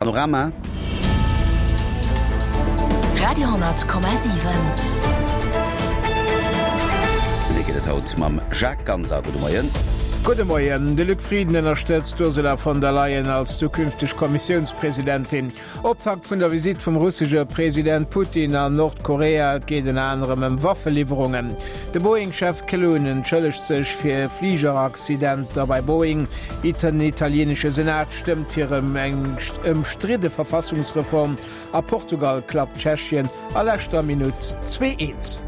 Panorama. Radio,7. Wéi geet et haut mam Jacques Ganser? Gudde Moien. Gudde Moien. De Luc Frieden ënnerstëtzt d'Ursula von der Leyen als zukünfteg Kommissiounspresidentin. Optakt vun der Visitt vum russesche President Putin an Nordkorea. Et geet ënner anerem ëm Waffeliwwerungen. De Boeing-Chef Klun entschëllegt sech fir Fligeraccidenter bei Boeing. Den italienesche Senat Stëmmt fir eng ëmstridde Verfassungsreform. A Portugal klappt Tschechien a leschter Minutt 2, 1.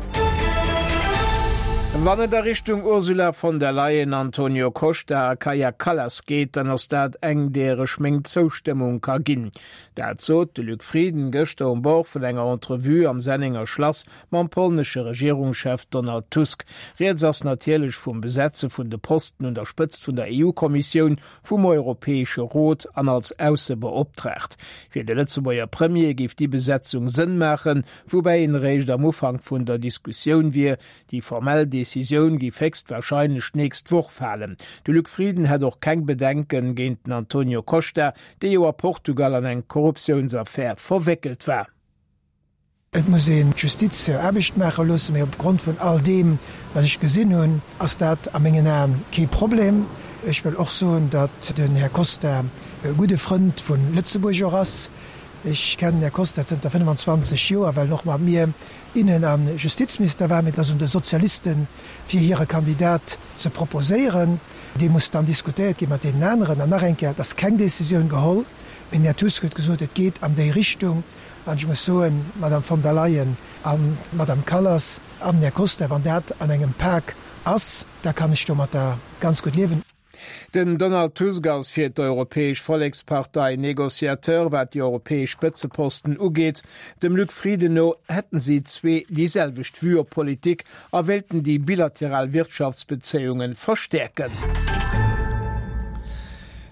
Wann et a Richtung Ursula von der Leyen, Antonio Costa a Kaja Kallas geet, dann ass dat eng, deer ech meng Zoustëmmung ka ginn. Dat sot de Luc Frieden gëschter um Bord vun enger Entrevue am Sennenger Schlass mam polnesche Regierungschef Donald Tusk. Rieds ass natierlech vum Besetze vun de Posten un der Spëtzt vun der EU-Kommissioun, vum Europäesche Rot an als Aussebeoptraagt. Fir de Lëtzebuerger Premier géif déi Besetzung Sënn maachen, woubäi een eréischt am Ufank vun der Diskussioun wier. Déi formell Decisioun géif héchstwarscheinlech d'nächst Woch falen. De Luc Frieden hätt och keng Bedenken géint den Antonio Costa, dee jo a Portugal an eng Korruptiounsaffär verwéckelt war. Et muss een d'Justiz hir Aarbecht maache loossen, mee opgrond vun all deem, wat ech gesinn hunn, ass dat a mengen Aen kee Problem. Ech wëll och soen, datt den Här Costa e gudde Frënd vu Lëtzebuerg och ass. Ech kennen den Här Costa zënter 25 Joer, well en och mat mir Innen a Justizminister war. Mee et ass un de Sozialisten, fir hire Kandidat ze proposéieren. Dee muss dann diskutéiert gi mat deenen aneren. An nach eng Kéier, et ass keng Décisioun geholl, mee den Här Tusk huet gesot, et geet an déi Richtung. An ech muss soen, d'Madame von der Leyen an d'Madame Kallas an den Här Costa, wann dat an engem Pak ass, da kann ech domatter ganz gutt liewen. Den Donald Tusk ass fir d'Europäesch Vollekspartei Negociateur, wat déi europäesch Spëtzeposten ugeet. Dem Luc Frieden no hätten si zwee déi selwecht Vue op d'Politik a wéilten déi bilateral Wirtschaftsbezéiunge verstäerken.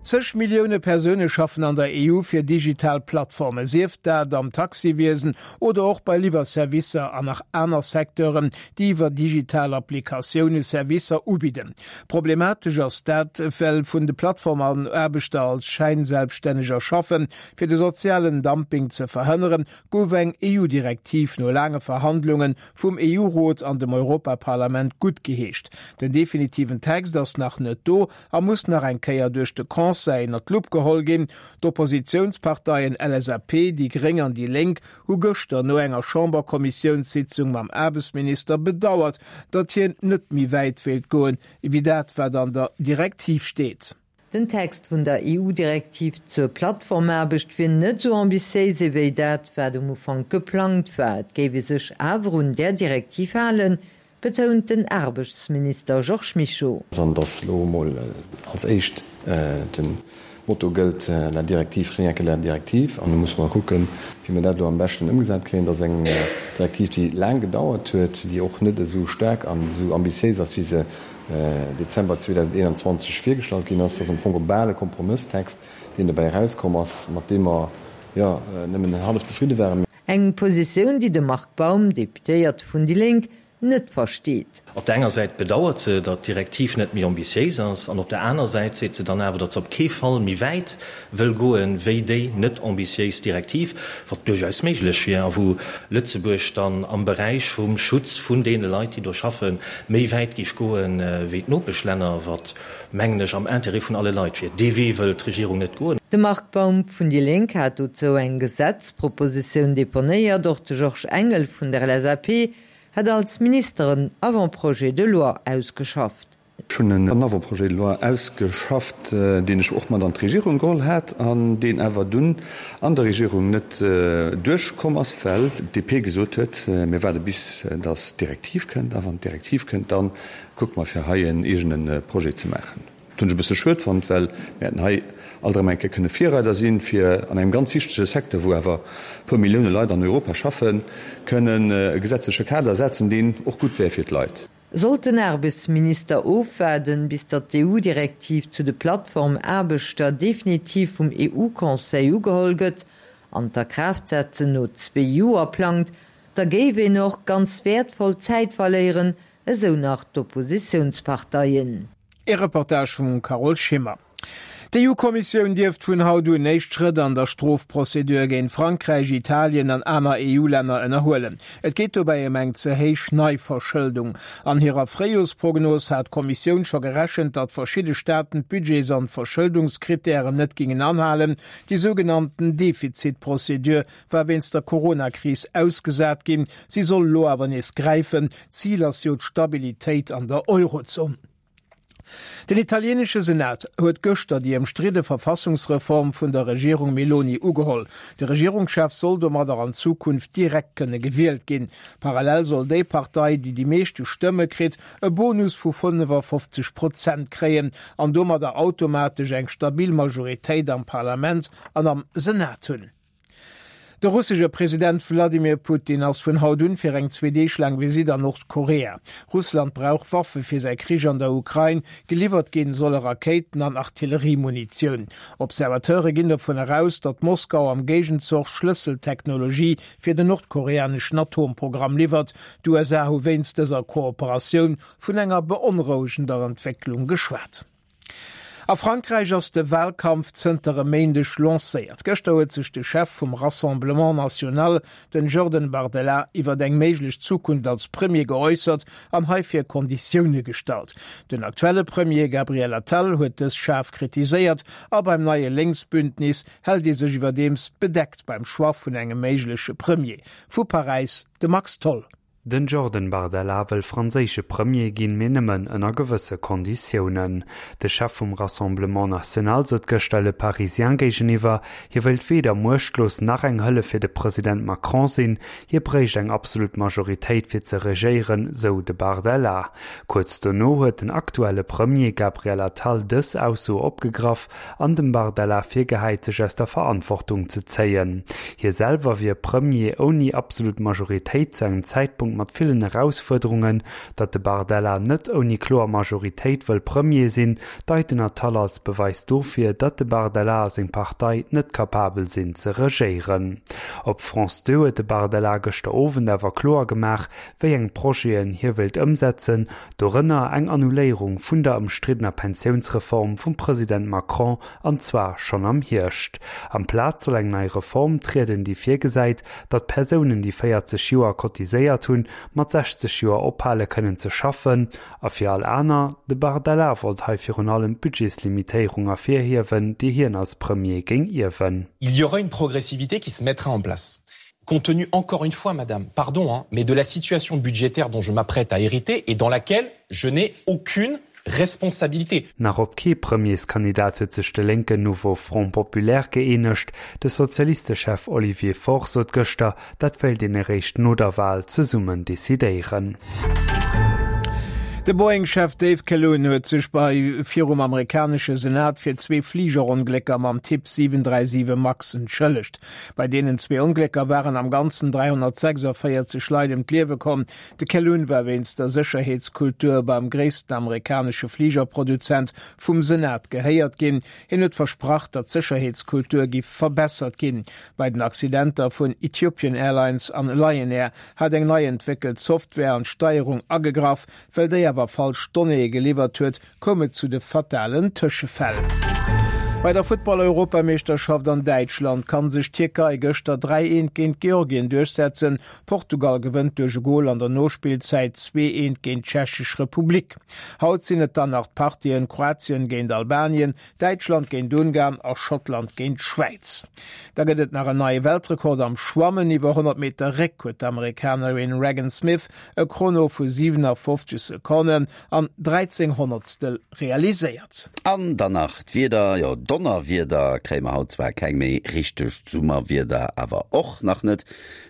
Zeg Millioune Persoune schaffen an der EU fir digital Plattformen, sief dat am Taxiwiesen oder och bei Liwwerservicer an nach aner Secteuren, déi iwwer digital Applikatioune Servicer ubidden. Problematesch ass dat, well vun de Plattformaarbechter als Schäinselbststänneger schaffen. Fir de sozialen Dumping ze verhënneren, gouf eng EU-Direktiv no laange Verhandlunge vum EU-Rot an dem Europaparlament guttgeheescht. Den definitiven Text ass nach net do a muss nach eng Kéier duerch de Conseil ënner d'Lupp geholl ginn. D'Oppositiounsparteien LSAP, déi Gréng an déi Lénk hu gëschter no enger Chamberkommissiounssitzung mam Aarbechtsminister bedauert, datt hien net méi wäit wéilt goen, ewéi dat wat an der Direktiv steet. Den Text vun der EU-Direktiv zur Plattformaarbecht wier net esou ambitiéis ewéi dat, wat um Ufank geplangt war. Et géif ee sech awer un där Direktiv halen, betount den Aarbechtsminister Georges Mischo. An dass elo emol als éischt de Motto gëllt, la directive, rien que la directive. An do musse mer kucken, wéi mer dat elo am beschten ëmgesat kréien. Dat ass eng Direktiv, déi laang gedauert huet, déi och net esou staark an esou ambitiéis ass, wéi se Dezember 2021 virgestallt ginn ass. Dat ass am Fong bal e Kompromësstext, deen dobäi erauskomm ass, mat deem mer, jo, nëmmen hallef zefridde waren. Eng Positioun, déi de Marc Baum, Deputéierte vun déi Lénk, net versteet. Op der enger Säit bedauert se, datt d'Direktiv net méi ambitiéis ass, an op der aner Säit seet se dann awer, datt se op kee Fall méi wäit wëll goen, wéi déi net ambitiéis Direktiv, wat duerchaus méiglech wier a wou Lëtzebuerg dann am Beräich vum Schutz vun deene Leit, déi do schaffen, méi wäit géif goen, wéi d'Nopeschlänner, wat, mengen ech, am Intérêt vun alle Leit wier. Dee Wee wëll d'Regierung net goen. De Marc Baum vun déi Lénk hat dozou eng Gesetzpropositioun deponéiert. Och de Georges Engel vun der LSAP hätt als Minister en Avant-projet de loi ausgeschafft. Ech hunn en Avant-projet de loi ausgeschafft, deen ech och mat an d'Regierung geholl hat an deen awer dunn an der Regierung net duerchkomm ass, well d'DP gesot huet, Mir waarde bis datt d'Direktiv kënnt, a wann d'Direktiv kënnt, da kucke mer fir hei en eegene Projet ze maachen. Dat hunn ech e bësse schued fonnt, well mir hätten hei alt erëm eng Kéier kënne Virreider sinn, fir an engem ganz wichtege Secteur, wou awer e puer Millioune Leit an Europa schaffen, kënnen e gesetzleche Kader setzen, deen och gutt wär fir d'Leit. Sollt den Aarbechtsminister ofwaarden, bis datt d'EU-Direktiv zu de Plattformaarbechter definitiv vum EU-Conseil ugeholl gëtt an d'Akraaftsetzen no zwee Joer plangt, da géif een och ganz wäertvoll Zäit verléieren, esou nach d'Oppositiounsparteien. Ee Reportage vum Carole Schimmer. D'EU-Kommissioun dierft vun haut un éischt Schrëtt an der Strofprozedur géint Frankräich, Italien an aner EU-Länner ënnerhuelen. Et geet dobäi ëm eng ze héich Neiverschëldung. An hirer Fréijorsprognos hat d'Kommissioun scho gerechent, datt verschidde Staaten d'Budgets an d'Verschëldungskrittären net gingen anhalen. Déi sougenannten Defizitprozedur war wéinst der Corona-Kris ausgesat ginn. Si soll elo awer nees gräifen. Zil ass jo d'Stabilitéit an der Eurozon. Den italienesche Senat huet gëschter déi ëmstridde Verfassungsreform vun der Regierung Meloni ugeholl. De Regierungschef soll domadder an Zukunft direkt kënne gewielt ginn. Parallel soll déi Partei, déi déi meeschte Stëmme kritt, e Bonus vu 55 Prozent kréien an domadder automatesch eng stabil Majoritéit am Parlament an am Senat hunn. De russesche President Wladimir Putin ass vun haut un fir eng zwee Deeg laang Visitt an Nordkorea. Russland brauch Waffe fir säi Krich an der Ukrain. Geliwwert ginn solle Rakéiten an Artilleriemunitioun. Observateure ginn dovun eraus, datt Moskau am Géigenzoch Schlësseltechnologie fir den nordkoreaneschen Atomprogramm liwwert. D'USA hu wéinst dëser Kooperatioun vun enger beonrouegender Entwécklung geschwat. A Frankräich ass de Walkampf zënter e Méindeg lancéiert. Gëschter huet sech de Chef vum Rassemblement National, den Jordan Bardella, iwwert eng méiglech Zukunft als Premier geäussert an heifir Konditioune gestallt. Den aktuelle Premier Gabriel Attal huet dës schaarf kritiséiert a beim neie Lénksbündnis hält ee sech iwwerdeems bedeckt beim Choix vun engem méigleche Premier. Vu Paräis de Max Tholl. Den Jordan Bardella wëll franséische Premier ginn, mee nëmmen ënner gewësse Konditiounen. De Chef vum Rassemblement National sot gëschter Le Parisien géigeniwwer, hie wéilt weder muechtlos nach eng Hëllef fir de President Macron sinn, hie bréicht eng absolut Majoritéit fir ze regéieren, sou de Bardella. Kuerz dono huet den aktuelle Premier Gabriel Attal dës Ausso opgegraff an dem Bardella virgehäit, sech aus der Verantwortung ze zéien. Hie selwer wier Premier ouni absolut Majoritéit zu engem Zäitpunkt mat villen Erausfuerderungen. Datt de Bardella net ouni kloer Majoritéit wëll Premier sinn, deit den Attal als Beweis dofir, datt de Bardella a seng Partei net kapabel sinn ze regéieren. Op France 2 huet de Bardella gëschter Owend awer kloer gemaach, wéi eng Projeten hie wéilt ëmsetzen, Dorënner eng Annuléierung vun der ëmstriddener Pensiounsreform vum President Macron, an zwar schonn am Hierscht. Amplaz soll eng nei Reform trieden, déi virgesäit, datt Persounen, déi 40 Joer cotiséiert hunn, mat 60 Joer ophale kënnen ze schaffen. A fir all aner? De Bardella wollt hei virun allem d'Budgetslimitéierung ervirhiewen, déi hien als Premier géing ierwen. Il y aura une progressivité qui se mettra en place. Compte tenu encore une fois, madame, pardon, hein, mais de la situation budgétaire dont je m'apprête à hériter et dans laquelle je n'ai aucune responsabilité. Nach op kee Premierskandidat huet sech de lénken Nouveau Front Populaire gëeenegt. De Sozialistechef Olivier Faure sot gëschter, dat wéilt een eréischt no der Wal zesummen decidéieren. De Boeing-Chef Dave Calhoun huet sech bei virum amerikanesche Senat fir zwee Fligeronglécker mam Typ 737 Max entschëllegt. Bei deenen zwee Onglécker waren am Ganzen 346 Leit ëm d'Liewe komm. De Calhoun war wéinst der Sécherheetskultur beim gréissten amerikanesche Fligerproduzent vum Senat gehéiert ginn. Hien huet versprach, datt d'Sécherheetskultur giff verbessert ginn. Bei den Accidenter vun Ethiopian Airlines an Lion Air hat eng nei entwéckelt Software an d'Steierung agegraff. Well déi awer falsch Donnéeë geliwwert huet, koum et zu de fatalen Tëschefäll. Bei der Futtball-Europameeschterschaft an Däitschland kann sech d'Tierkei gëschter 3, 1 géint Georgien duerchsetzen. Portugal gewënnt duerch e Gol an der Nospillzäit 2, 1 géint d'Tschechesch Republik. Haut sinn et dann nach d'Partien Kroatien géint Albanien, Däitschland géint Ungarn a Schottland géint d'Schwäiz. Da gëtt et nach en neie Weltrekord am Schwammen. Iwwer 100 Meter Réck huet d'Amerikanerin Regan Smith e Chrono vu 57 Sekonnen an 13 Honnertstel realiséiert. An dann nach d'Wieder, jo Donnerwieder kréie mer haut zwar keng méi, richtegt Summerwieder awer och nach net.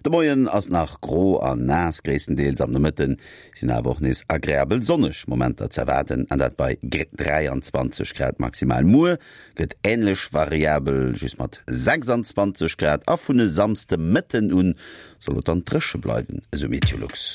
De Moien ass nach gro an naass gréisstendeels, am Nomëtten Sinn awer och nees agreabel sonneg Momenter z'erwaarden, an dat bei 23 Grad maximal. Muer gëtt änlech variabel, just mat 26 Grad, a vun e Samsdemëtten un soll et dann dréche bleiwen, esou Meteolux.